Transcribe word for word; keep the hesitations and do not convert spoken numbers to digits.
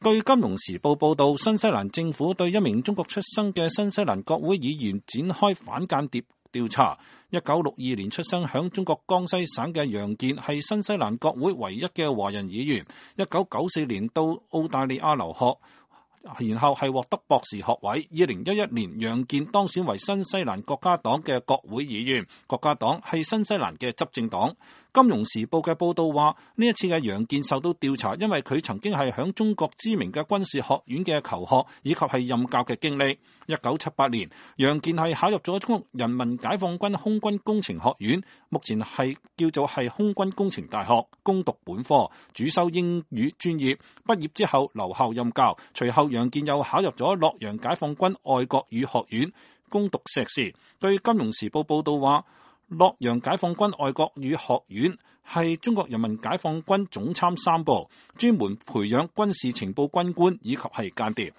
據《金融時報》報道，新西蘭政府對一名中國出生嘅新西蘭國會議員展開反間諜調查。一九六二年出生響中國江西省嘅楊健係新西蘭國會唯一嘅華人議員。一九九四年到澳大利亞留學，然後係獲得博士學位。二零一一年，楊健當選為新西蘭國家黨嘅國會議員。國家黨係新西蘭嘅執政黨。金融時報嘅報道話，呢一次嘅楊健受到調查，因為佢曾經係響中國知名嘅軍事學院嘅求學，以及係任教嘅經歷。一九七八年，楊健係考入咗中國人民解放軍空軍工程學院，目前係叫做係空軍工程大學，攻讀本科，主修英語專業。畢業之後留校任教，隨後楊健又考入咗洛陽解放軍愛國語學院，攻讀碩士。據金融時報報道話，洛陽解放軍愛國語學院係中國人民解放軍總參三部，專門培養軍事情報軍官以及係間諜。